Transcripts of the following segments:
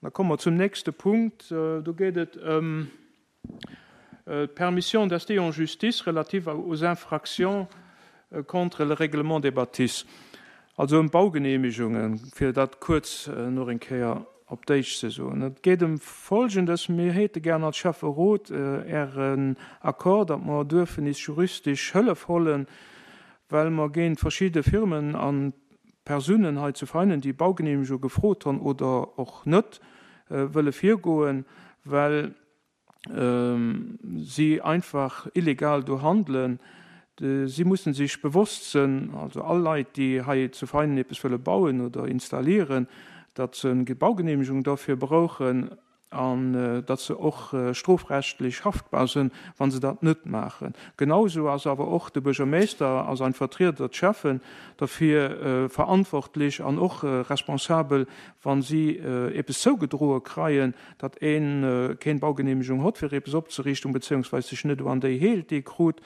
Da komme mer zum nächste Punkt. Do geet et ëm d'Permission d'ester en justice relative aux infractions contre le règlement des bâtisses, also ëm d'Baugenehmigungen, fir dat kuerz nach eng Kéier op Déitsch ze soen. Et geet ëm Folgendes, Mir héite gären als Schäfferot Ären Accord, datt mer duerfen is juristesch Hëllef hollen, well mer géint verschidde Firmen a Persounen hei zu Veinen, déi Baugenehmigung gefrot honn oder och net, wëlle virgoen, well si einfach illegal do handelen. Si mussen sech bewosst sënn, also all Leit, déi hei zu Veinen eppes wëlle bauen oder installieren, datt se eng Baugenehmigung dofir brauchen an datt se och strofrechtlech haftbar sënn, wa se dat net maachen. Genausou ass awer och de Buergermeester a sein Vertrieder, d'Schäffen, derfir verantwortlech an och responsabel, wa si eppes zougedroe kreien, datt een keen Baugenehmegung hott fir eppes opzeriichten, beziehungsweise sech net un déi heelt déi e krut,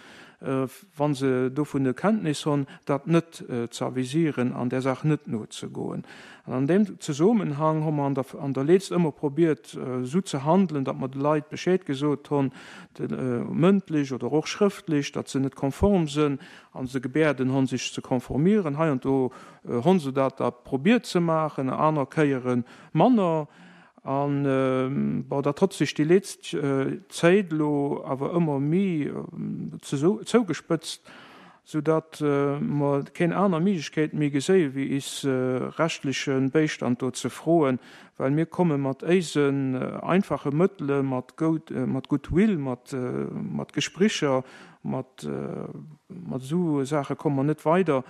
wa se dovun Kenntnis honn, dat net ze avisieren an där Saach net nozegoen. An an deem Zesomenhang hu mer an der an der Leetzt ëmmer probiert esou ze handelen, datt mer de Leit Bescheed gesot honn, mëndlech oder och schrëftlech, datt se net konform sënn a se gebäerden honn sech ze konformieren. Hei an do honn se dat da probiert ze maachen, aner Kéiere manner. An, bon, dat hott sech déi leetzt Zéit elo awer ëmmer méi zougespëtzt, soudatt mer keen aner Miglechkeet méi geséie wéi is rechtliche Béistand do ze froen, well mir komme mat éisen einfache Mëttele, mat Goodwill, mat Gespricher, Mat esou Saache komme mer net weider.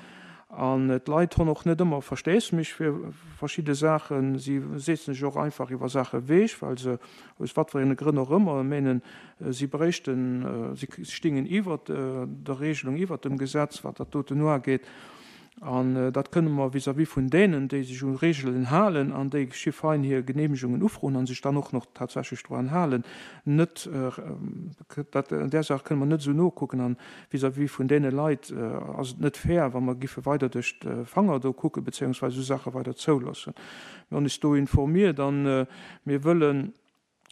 An d'Leit honn och net ëmmer Versteesmech fir verschidde Saachen. Si setzen sech och einfach iwwer Saache ewech, well se, aus wat fir ene Grënn och ëmmer, menen, si bréichten, si stingen iwwert der Regelung, iwwert dem Gesetz, wat dat doten uageet. An dat kënne mer vis-à-vis vun deenen, déi sech u Regeln halen an déi schifein hir Genehmegungen ufroen a sech dann och nach tatsächlech doran halen, net, dat, an där Saach kënne mer net esou nokucken. An vis-à-vis vun deene Leit ass et net fair, wa mer giffe weider duerch d'Fanger do kucken, beziéungsweis esou Saache weider zouloossen. Mir hunn eis do informiert a mir wëllen,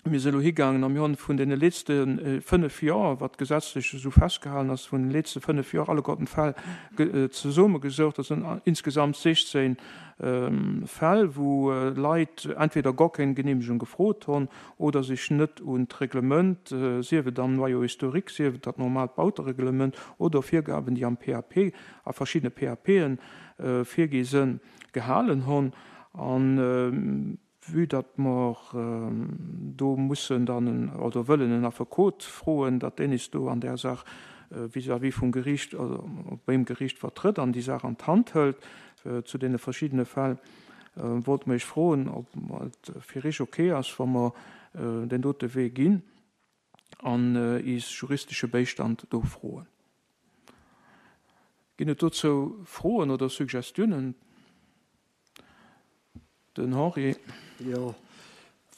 Mir si elo higaangen a mir hunn vun deene letzte 5 Joer, wat gesetzlech esou festgehalen ass, vun den letzte 5 Joer alleguerten d'Fäll zesummegesoucht. Dat sinn insgesamt 16 Fäll, wou Leit entweder gor keng Genehmegung gefrot hunn oder sech net un d'Reglement, sief et am Noyau historique, sief et dat normaalt Bautereglement oder Virgaben, déi am PAP, a verschiddene PAPen virgi sinn, gehalen hunn. An Vue datt mer do mussen dann en, oder wëllen en Affekot froen, datt deen is do an där Saach vis-à-vis vum Geriicht, oder beim Geriicht vertrëtt an déi Saach an d'Hand hëlt zu deene verschiddene Fäll, wollte mer Iech froen, ob et fir Iech ok ass, wa mer deen dote Wee ginn an is juristesche Béistand do froen. Ginn et dozou Froen oder Suggestiounen? Den Henri. Jo,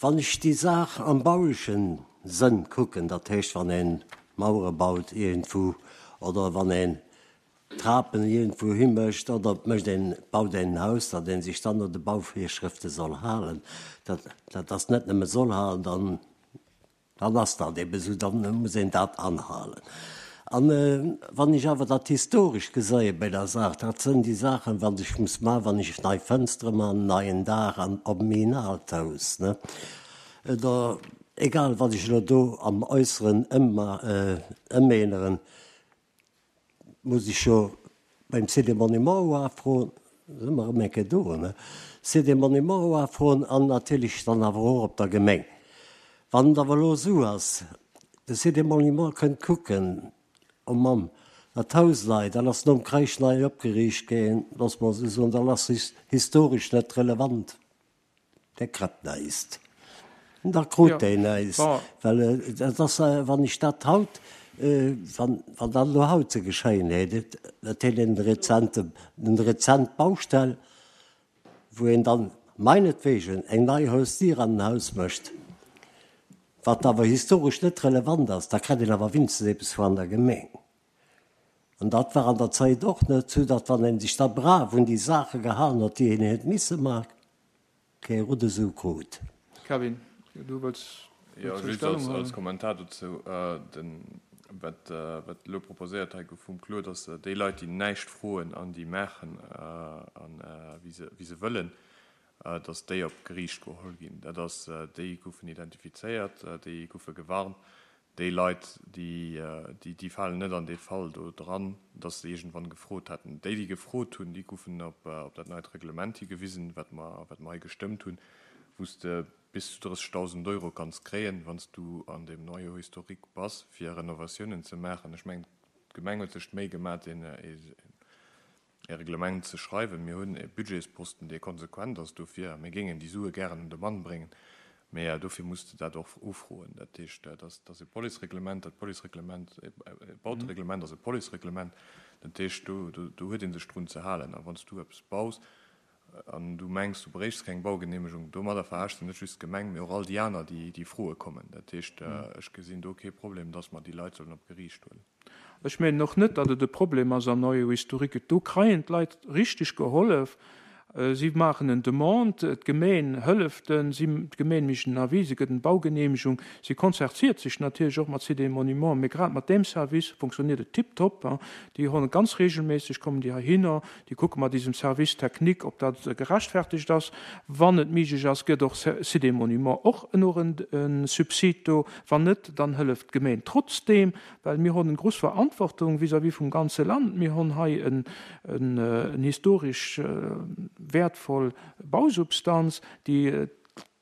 wann ech déi Saach am baulechen Sënn kucken, dat heescht wann ee Mauere baut iergendwou oder wann een Trapen iergendwou himécht oder et mécht een, baut een en Haus, datt ee sech dann no de Bauvirschrëfte soll halen, dat, dat ass net nëmme soll halen, dann Dann ass dat eben esou, dann muss een dat anhalen. An wann ech awer dat Historescht geseie bei der Saach, dat sënn déi Saachen, wat ech muss maachen, wann ech nei Fënstere man, neien Daach an op méin aalt Haus, ne, oder egal wat ech elo do am Äusseren ëmänneren, Muss ech jo beim Site des Monuments uafroen, si mer erëm eng Kéier do, ne? Site des Monuments uafroen an natierlech dann awer och op der Gemeng. Wann et awer elo esou ass, de Site des Monuments kënnt kucken, oh Mamm, dat Haus nei, dat ass nom Kreich nei opgeriicht ginn, loosse mer esou soen, dat ass historesch net relevant. Der kritt näischt. Da krut deen näischt. Well dat ass, wann ech dat haut, wann dat elo haut ze geschéien hätt, dat hätt een rezente, eng rezent Baustell, wou een dann meinetwegen eng nei Hausdier an en Haus mécht, wat awer historesch net relevant ass, da kritt een awer winstens eppes vun der Gemeng. An dat war an der Zäit och net sou, datt wann een sech da brav un déi Saache gehalen huet, déi een huet misse maachen, kee Rudde Sou krut. Kevin, du wëlls Jo, dozou just Stellung als, als huelen? Kommentar dozou, den, wat, wat elo proposéiert hei gouf vum Claude, ass, déi Leit, déi näischt froen an déi maachen, an, wéi se, wéi se wëllen, datt déi op d'Geriicht geholl ginn. Dat ass, déi goufen identifizéiert, déi goufe gewarnt. Déi Leit, déi, déi falen net an dee Fall do dran, dass se iergendwann gefrot hätten. Déi, déi gefrot hunn, déi goufen op dat neit Reglement higewisen, wat mer, wat mer hei gestëmmt hunn, wou s de bis zu 30.000 Euro kanns kréien, wann s du an deem Noyau historique bass, fir Renovatiounen ze maachen. Ech mengen, d'Gemeng huet sech d'Méi gemaach, deen, e Reglement ze schreiwen. Mir hunn e Budgetsposten, dee konsequent ass dofir, a mir géingen déi Sue gären un de Mann bréngen, mä dofir muss de dat och ufroen. Dat heescht, dat ass e Policereglement, dat Policereglement, e Bautereglement ass e Policereglement, dat heescht, do huet ee sech drun ze halen. A wann s du eppes baus an du mengs, du bréichs keng Baugenehmegung, domadder veraarschs de net just d'Gemeng, mä och all déi aner, déi froe kommen. Dat heescht, ech gesinn do kee Problem, dass mer déi Leit sollen op d'Geriicht huelen. Ech mengen och net, datt et e Problem ass am Noyau historique. Do kreien d'Leit richteg gehollef. Si maachen en Demande, d'Gemeen hëlleft en, si, d'Gemeen mécht en Avis, se gëtt en Baugenehmegung. Si konzertiert sech natierlech och mat Sites et Monuments, mee grad mat deem Service funktioniert et tiptop. Déi honne ganz regelméisseg, kommen déi heihinner, déi kucke mat isem Service technique, ob dat gerechtfertegt ass. Wann et méiglech ass, gëtt och Sites et Monuments och eno en Subsid do. Wann net, dann hëlleft d'Gemeen trotzdeem. Well mir hon en gruss Verantwortung vis-à-vis vum ganze Land. Mir hon hei en historesch wäertvoll Bausubstanz, déi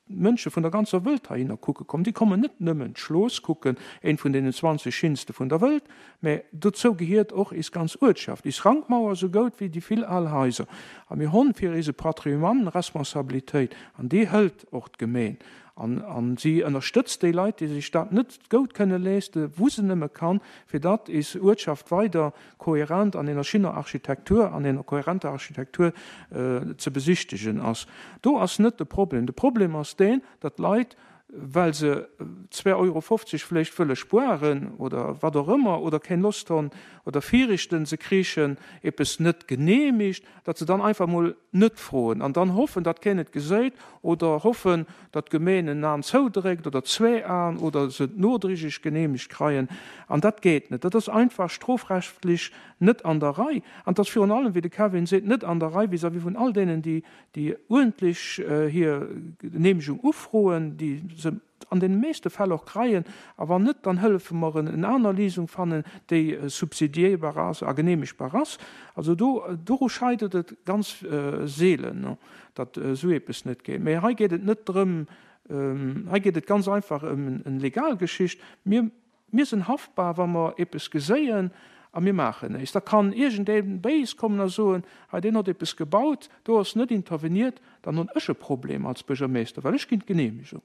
d'Mënsche vun der ganzer Wëlt heihinner kucke kommen. Déi kommen net nëmmen d'Schlooss kucken, eent vun deenen 20 schinste vun der Wëlt, mä dozou gehiert och is ganz Uertschaft, is Rankmauer sou goud wéi déi vill al Haiser. A mir hon fir ise Patrimoine Responsabilitéit, an déi hëlt och d'Gemeen. An si ënnerstëtzt déi Leit, déi sech dat net goud kënne leeste, wou se nëmme kann, fir datt is Uertschaft weider kohärent an ener schinner Architektur, an ener kohärenter Architektur ze besichtegen ass. Do ass net de Problem. De Problem ass deen, datt d'Leit, well se zwä Euro 50 vléicht wëlle spuaren oder wat och ëmmer oder keng Lost honn oder firichten, se kriichen eppes net genehmigt, datt se dann einfach mol net froen an dann hoffen, datt keen et geséit oder hoffen, datt d'Gemeen en An zoudréckt oder zwee Aen oder se et nodrigeg genehmegt kreien. An dat geet net. Dat ass einfach strofrechtlich net an der Rei. An et ass virun allem, wéi de Kevin seet, net an der Rei vis-à-vis vun all deenen, déi déi uerdentlech hir Genehmegung ufroen, déi se an deene meeschte Fäll och kreien, a wann net, dann hëllefe mer en en aner Léisung fannen, déi subsidiéierbar ass a genehmegbar ass. Also do, doru scheitert et ganz seelen, datt esou eppes net geet. Mä hei geet et net drëm, hei geet et ganz einfach ëm en legal Geschicht. Mir Mir sinn haftbar, wa mer eppes geséien a mir maachen éis. Da kann iergendee béis kommen a soen, hei deen hott eppes gebaut, do ass net interveniert, dann hunn ech e Problem als Buergermeester, well ech ginn d'Genehmegung.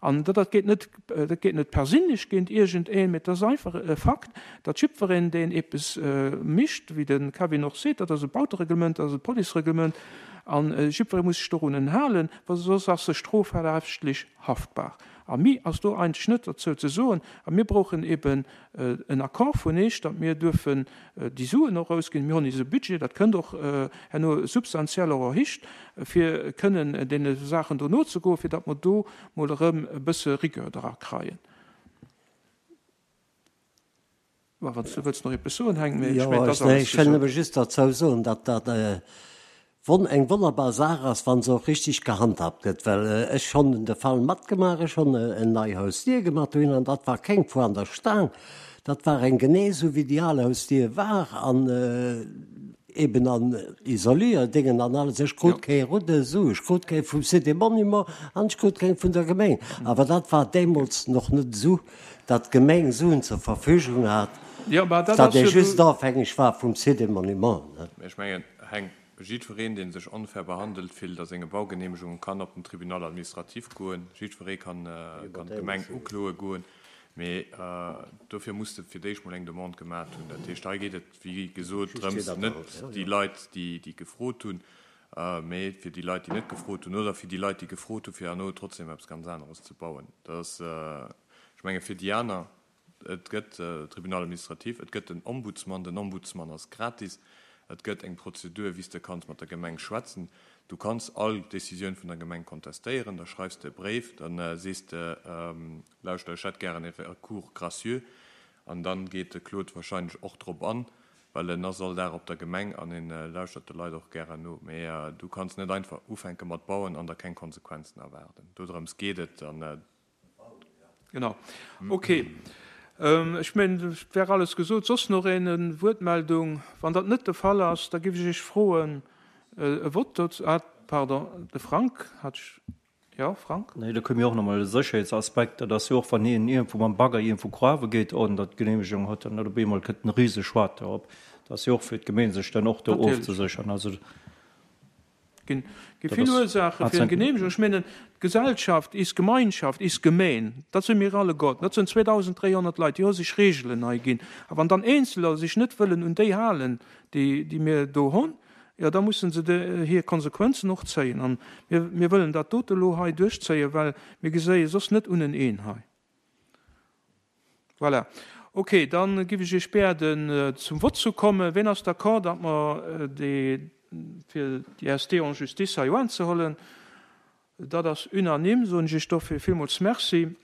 An dat geet net, dat geet net perséinlech géint iergendeen, mee et ass einfach e Fakt, datt jiddwereen, deen eppes mischt, wéi de Kevin och seet, dat ass e Bautereglement, dat ass e Policereglement, a jiddweree muss sech dorunen halen, well soss ass e strofrechtlech haftbar. A mi ass do eigentlech net derzou ze soen. A mir brauchen eben en Accord vun Eech, datt mir duerfen déi Suen och ausginn. Mir hunn eise Budget, dat kënnt och herno substantiell och erhicht, fir kënnen deene Saachen do nozegoen, fir datt mer do mol erëm e bësse Rigueur dra kreien. Mä wann s du wëlls nach eppes soen, Heng, mee ech mengen, et ass alles gesot. Ech wëll nëmme just derzou soen, datt dat eng wonnerbar Saach ass, wa se och richtig gehandhabt gëtt. Well ech honn de Fall matgemaach, ech honn en nei Hausdier gemaach dohin an dat war keng Foire an der Staang, dat war eng genee esou wéi déi al Hausdier war an eben an Isolierdengen an alles. Ech krut kee Rudde Su, ech krut keng vum Cité Monument an ech krut keng vun der Gemeng. Awer dat war deemools nach net esou. Datt d'Gemeng Suen zur Verfügung hat, datt ee just ofhängeg war vum Site des Monuments. Mä ech mengen, Heng, jiddwereen, dee sech onfair behandelt fillt a senge Baugenehmegungen, kann op den Tribunal administratif goen. Jiddweree kann d'Gemeng ukloe goen. Mee dofir muss de fir d'éischt mol eng Demande gemat hunn. Dat heescht, hei geet et, wéi gesot, drëms, net déi Leit, déi gefrot hunn, mee fir déi Leit, déi net gefrot hunn, oder fir déi Leit, déi gefrot hunn, fir herno trotzdem eppes ganz aneres ze bauen. Dat ass, ech menge fir déi aner, et gëtt Tribunal administratif, et gëtt den Ombudsman, den Ombudsman ass gratis, et gëtt eng Prozedur, wéi s de kanns mat der Gemeng schwätzen. Du kanns all Decisioun vun der Gemeng kontestéieren, da schreifs de e Bréif, da sees de, Lauschter, ech hätt gären e Recours gracieux. An dann geet de Claude wahrscheinlech och drop an, well en ass all Dag op der Gemeng an en lauschtert de Leit och gären no. Mee du kanns net einfach ufänke mat bauen an der keng Konsequenzen erwaarden. Dodrëms geet et. An. Genau. Ok. Ech mengen, et wär alles gesot. Soss nach een en Wuertmeldung? Wann dat net de Fall ass, da géif ech Iech froen, e Vott dozou. Ah, pardon, de Frank hat ech. Jo, Frank? Nee, do koum jo och nach emol e Sécherheetsaspekt. Dat ass jo och, wann een iergendwou mam Bagger iergendwou grawe geet, ouni datt d'Geneemegung huet, dann op eemol kënnt en Riseschwater op. Dat ass jo och fir d'Gemeen, sech dann och do ofzesécheren. Also. Ginn gi vill Ursaache fir eng Geneemegung. Ech mengen, d'Gesellschaft, is Gemeinschaft, is Gemeen, dat si mir alleguerten. Dat sinn 2.300 Leit, déi hu sech Reegelen hei ginn. A wann dann Eenzeler sech net wëllen un déi halen, déi, déi mir do hunn, jo da musse se de, hir Konsequenzen och zéien. An mir, mir wëllen dat dote elo hei duerchzéien, well mir geséie soss net uneneen hei. Voilà. Ok, dann giff ech Iech biäden zum Vott zu kommen. Ween ass d'accord, datt mer déi, fir déi SD en justice hei uanzehollen? Dat ass unanime, soen ech Iech dofir villmools Merci.